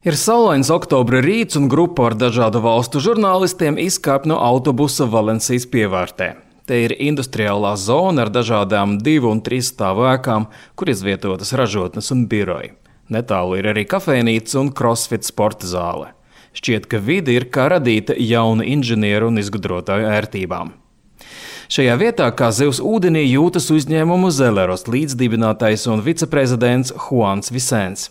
Ir saulains oktobra rīts un grupa ar dažādu valstu žurnālistiem izkāp no autobusa Valencijas pievārtē. Te ir industriālā zona ar dažādām 2 un 3 stāvu ēkām, kur izvietotas ražotnes un biroji. Netālu ir arī kafejnīca un crossfit sporta zāle. Šķiet, ka vide ir kā radīta jauna inženieru un izgudrotāju ērtībām. Šajā vietā, kā zivs ūdenī, jūtas uzņēmumu Zeleros līdzdibinātais un viceprezidents Juans Vicens.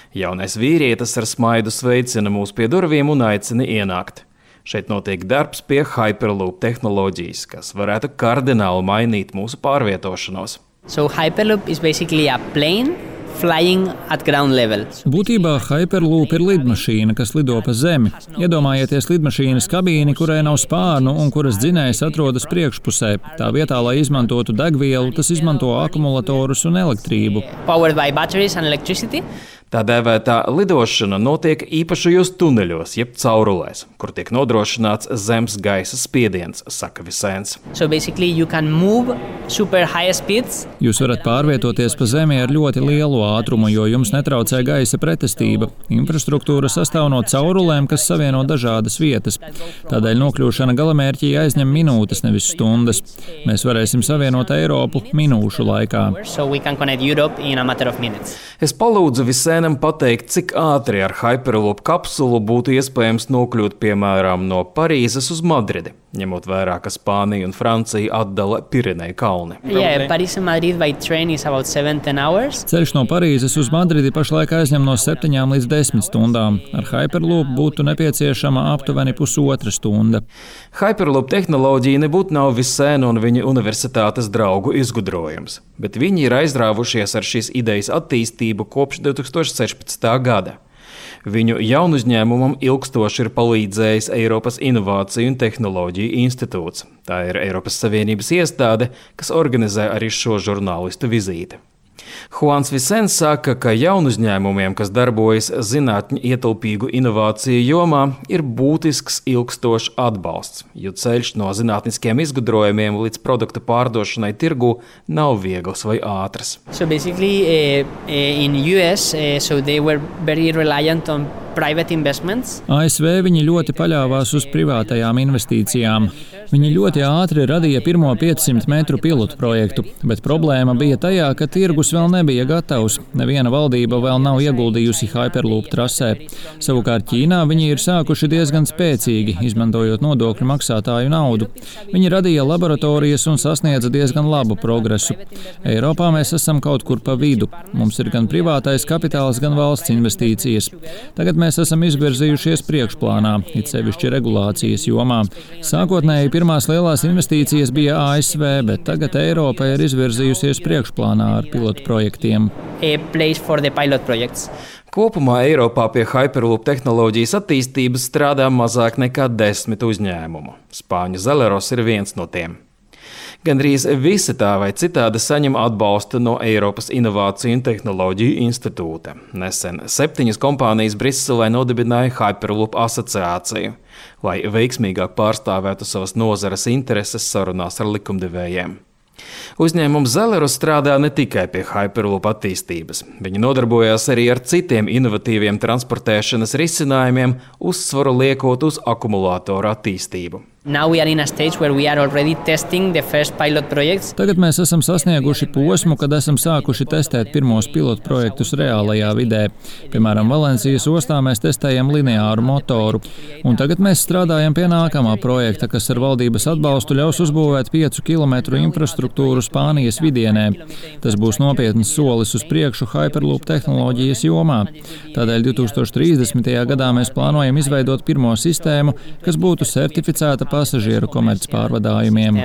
Jaunais vīrietis ar smaidu sveicina mūs pie durvīm un aicina ienākt. Šeit notiek darbs pie Hyperloop tehnoloģijas, kas varētu kardināli mainīt mūsu pārvietošanos. So Hyperloop is basically a plane flying at ground level. Būtībā Hyperloop ir lidmašīna, kas lido pa zemi. Iedomājieties lidmašīnas kabīni, kurai nav spārnu un kuras dzinējs atrodas priekšpusē. Tā vietā, lai izmantotu degvielu, tas izmanto akumulatorus un elektrību. Powered by batteries and electricity. Tā dēvētā lidošana notiek īpašajos tuneļos, jeb caurulēs, kur tiek nodrošināts zemes gaisa spiediens, saka Vicens. So basically you can move super high speeds. Jūs varat pārvietoties pa zemi ar ļoti lielu ātrumu, jo jums netraucē gaisa pretestība. Infrastruktūra sastāv no caurulēm, kas savieno dažādas vietas. Tādēļ nokļūšana galamērķī aizņem minūtes, nevis stundas. Mēs varēsim savienot Eiropu minūšu laikā. So we can connect Europe in a matter of minutes. Es palūdzu Vicenam pateikt, cik ātri ar Hyperloop kapsulu būtu iespējams nokļūt, piemēram, no Parīzes uz Madridi, ņemot vērā, ka Spānija un Francija atdala Pireneju kalni. Yeah, Paris and Madrid by train is about 7-10 hours. Ceļš no Parīzes uz Madridi pašlaik aizņem no 7 līdz 10 stundām. Ar Hyperloop būtu nepieciešama aptuveni pusotra stunda. Hyperloop tehnoloģija nebūtu nav Vicena un viņa universitātes draugu izgudrojums, bet viņi ir aizrāvušies ar šīs idejas attīstību kopš 2016. gada. Viņu jaunuzņēmumam ilgstoši ir palīdzējis Eiropas Inovāciju un tehnoloģiju institūts. Tā ir Eiropas Savienības iestāde, kas organizē arī šo žurnālistu vizīti. Juans Vicens saka, ka jaunuzņēmumiem, kas darbojas zinātņu ietilpīgu inovāciju jomā, ir būtisks ilgstošs atbalsts, jo ceļš no zinātniskiem izgudrojumiem līdz produktu pārdošanai tirgū nav viegls vai ātrs. So basically in US, so they were very reliant on private investments. ASV viņi ļoti paļāvās uz privātajām investīcijām. Viņi ļoti ātri radīja pirmo 500 metru pilotu projektu, bet problēma bija tajā, ka tirgus vēl nebija gatavs. Neviena valdība vēl nav ieguldījusi Hyperloop trasē. Savukārt Ķīnā viņi ir sākuši diezgan spēcīgi, izmantojot nodokļu maksātāju naudu. Viņi radīja laboratorijas un sasniedza diezgan labu progresu. Eiropā mēs esam kaut kur pa vidu. Mums ir gan privātais kapitāls, gan valsts investīcijas. Tagad mēs esam izvirzījušies priekšplānā, it sevišķi regulācijas jomā. Sākotnēji pirmās lielās investīcijas bija ASV, bet tagad Eiropa ir izvirzījusies priekšplānā ar pilotu projektiem. Kopumā Eiropā pie Hyperloop tehnoloģijas attīstības strādā mazāk nekā 10 uzņēmumu. Spāņu Zeleros ir viens no tiem. Gandrīz visi tā vai citādi saņem atbalstu no Eiropas Inovāciju un tehnoloģiju institūta. Nesen 7 kompānijas Briselē nodibināja Hyperloop asociāciju, lai veiksmīgāk pārstāvētu savas nozares intereses sarunās ar likumdevējiem. Uzņēmums Zeleros strādā ne tikai pie Hyperloop attīstības. Viņi nodarbojās arī ar citiem inovatīviem transportēšanas risinājumiem, uzsvaru liekot uz akumulātoru attīstību. Tagad mēs esam sasnieguši posmu, kad esam sākuši testēt pirmos pilotu projektus reālajā vidē. Piemēram, Valencijas ostā mēs testējam lineāru motoru. Un tagad mēs strādājam pie nākamā projekta, kas ar valdības atbalstu ļaus uzbūvēt 5 kilometru infrastruktūru Spānijas vidienē. Tas būs nopietns solis uz priekšu Hyperloop tehnoloģijas jomā. Tādēļ 2030. gadā mēs plānojam izveidot pirmo sistēmu, kas būtu certificēta pasažieru komercpārvadājumiem.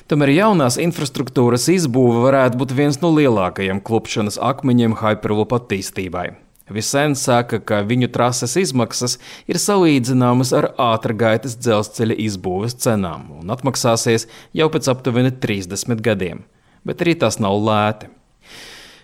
Tomēr jaunās infrastruktūras izbūve varētu būt viens no lielākajiem klupšanas akmeņiem Hyperloop attīstībai. Vicens saka, ka viņu trases izmaksas ir salīdzināmas ar ātrgaitas dzelzceļa izbūves cenām un atmaksāsies jau pēc aptuveni 30 gadiem. Bet arī tas nav lēti.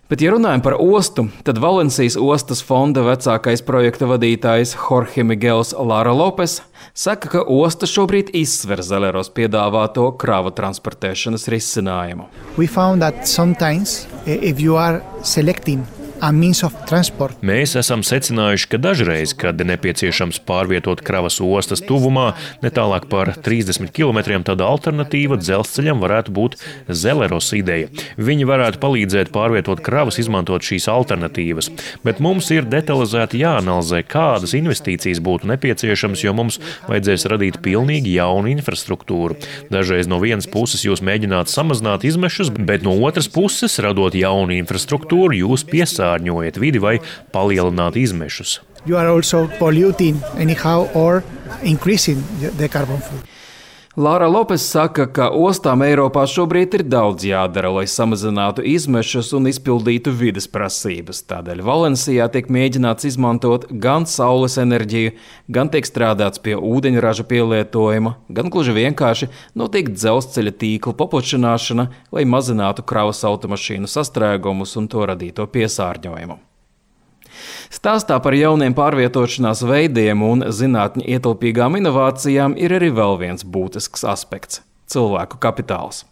Bet, ja runājam par ostu, tad Valencijas ostas fonda vecākais projekta vadītājs Jorge Miguels Lara Lopes saka, ka osta šobrīd izsver Zeleros piedāvāto kravu transportēšanas risinājumu. We found that sometimes if you are selecting Mēs esam secinājuši, ka dažreiz, kad ir nepieciešams pārvietot kravas ostas tuvumā, netālāk par 30 km, tad alternatīva dzelzceļam varētu būt Zeleros ideja. Viņi varētu palīdzēt pārvietot kravas, izmantot šīs alternatīvas. Bet mums ir detalizēti jāanalizē, kādas investīcijas būtu nepieciešamas, jo mums vajadzēs radīt pilnīgi jaunu infrastruktūru. Dažreiz no vienas puses jūs mēģināt samazināt izmešus, bet no otras puses, radot jaunu infrastruktūru, jūs piesārņojat vidi vai palielināt izmešus. You are also polluting anyhow or increasing the carbon footprint. Lara Lopes saka, ka ostām Eiropā šobrīd ir daudz jādara, lai samazinātu izmešus un izpildītu vides prasības. Tādēļ Valencijā tiek mēģināts izmantot gan saules enerģiju, gan tiek strādāts pie ūdeņraža pielietojuma, gan gluži vienkārši notiek dzelzceļa tīkla paplašināšana, lai mazinātu kravas automašīnu sastrēgumus un to radīto piesārņojumu. Stāstā par jauniem pārvietošanās veidiem un zinātņu ietilpīgām inovācijām ir arī vēl viens būtisks aspekts – cilvēku kapitāls.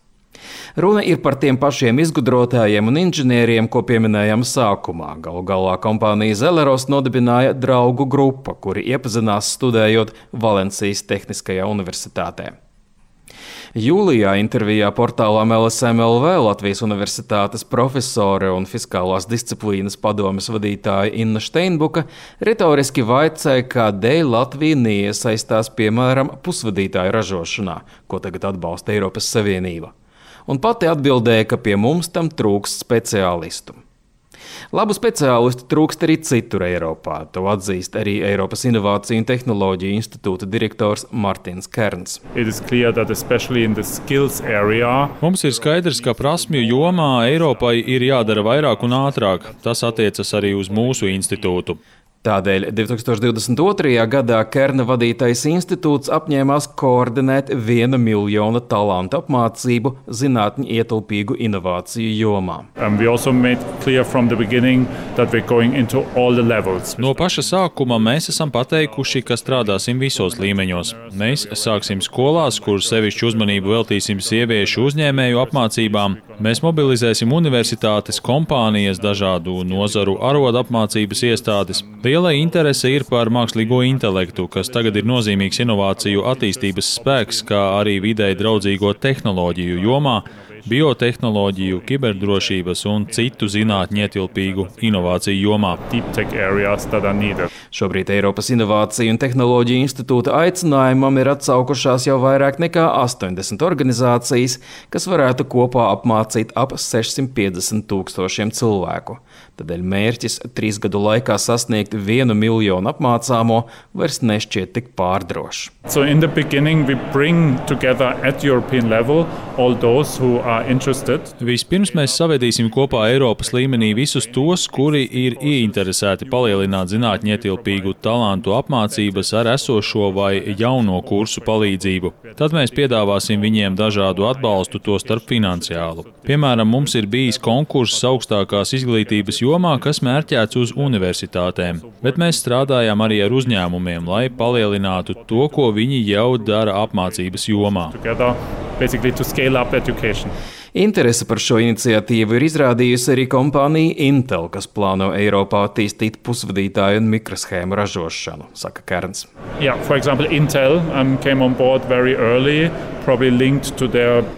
Runa ir par tiem pašiem izgudrotājiem un inženieriem, ko pieminējām sākumā. Galu galā kompānija Zeleros nodibināja draugu grupa, kuri iepazinās studējot Valencijas Tehniskajā universitātē. Jūlijā intervijā portālām LSM.LV Latvijas Universitātes profesore un fiskālās disciplīnas padomes vadītāja Inna Steinbuka retoriski vaicāja, kādēļ Latvija neiesaistās, piemēram, pusvadītāju ražošanā, ko tagad atbalsta Eiropas Savienība. Un pati atbildēja, ka pie mums tam trūkst speciālistu. Labu speciālistu trūkst arī citur Eiropā. To atzīst arī Eiropas Inovāciju un Tehnoloģiju institūta direktors Martins Kerns. Mums ir skaidrs, ka prasmju jomā Eiropai ir jādara vairāk un ātrāk. Tas attiecas arī uz mūsu institūtu. Tādēļ 2022. gadā Kerna vadītais institūts apņēmās koordinēt 1 miljona talantu apmācību zinātņu ietilpīgu inovāciju jomā. No paša sākuma mēs esam pateikuši, ka strādāsim visos līmeņos. Mēs sāksim skolās, kur sevišķu uzmanību veltīsim sieviešu uzņēmēju apmācībām. Mēs mobilizēsim universitātes, kompānijas, dažādu nozaru arodu apmācības iestādes. Liela interese ir par mākslīgo intelektu, kas tagad ir nozīmīgs inovāciju attīstības spēks, kā arī videi draudzīgo tehnoloģiju jomā, biotehnoloģiju, kiberdrošības un citu zinātņu ietilpīgu inovāciju jomā. Šobrīd Eiropas Inovāciju un Tehnoloģiju institūta aicinājumam ir atsaukušās jau vairāk nekā 80 organizācijas, kas varētu kopā apmācīt ap 650 000 cilvēku. Tādēļ mērķis 3 gadu laikā sasniegt 1 miljonu apmācāmo vairs nešķiet tik pārdrošs. Vispirms mēs savedīsim kopā Eiropas līmenī visus tos, kuri ir ieinteresēti palielināt zinātņu ietilpīgu talantu apmācības ar esošo vai jauno kursu palīdzību. Tad mēs piedāvāsim viņiem dažādu atbalstu, to starp finansiālu. Piemēram, mums ir bijis konkurss augstākās izglītības jomā, kas mērķēts uz universitātēm, bet mēs strādājam arī ar uzņēmumiem, lai palielinātu to, ko viņi jau dara apmācības jomā. Interese par šo iniciatīvu ir izrādījusi arī kompānija Intel, kas plāno Eiropā attīstīt pusvadītāju un mikroshēmu ražošanu, saka Kerns.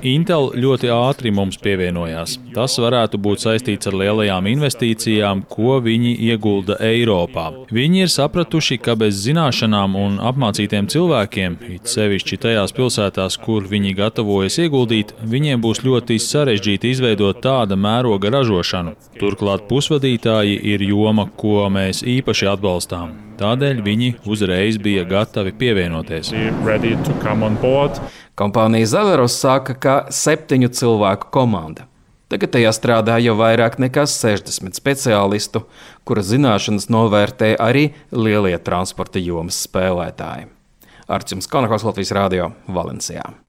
Intel ļoti ātri mums pievienojās. Tas varētu būt saistīts ar lielajām investīcijām, ko viņi iegulda Eiropā. Viņi ir sapratuši, ka bez zināšanām un apmācītiem cilvēkiem, it sevišķi tajās pilsētās, kur viņi gatavojas ieguldīt, viņiem būs ļoti sarežģīti izveidot tāda mēroga ražošanu. Turklāt pusvadītāji ir joma, ko mēs īpaši atbalstām. Tādēļ viņi uzreiz bija gatavi pievienoties. Kompānija Zeleros saka, ka 7 cilvēku komanda. Tagad tajā strādā jau vairāk nekā 60 speciālistu, kura zināšanas novērtē arī lielie transporta jomas spēlētāji. Arčuns Konakovs, Latvijas Radio, Valencijā.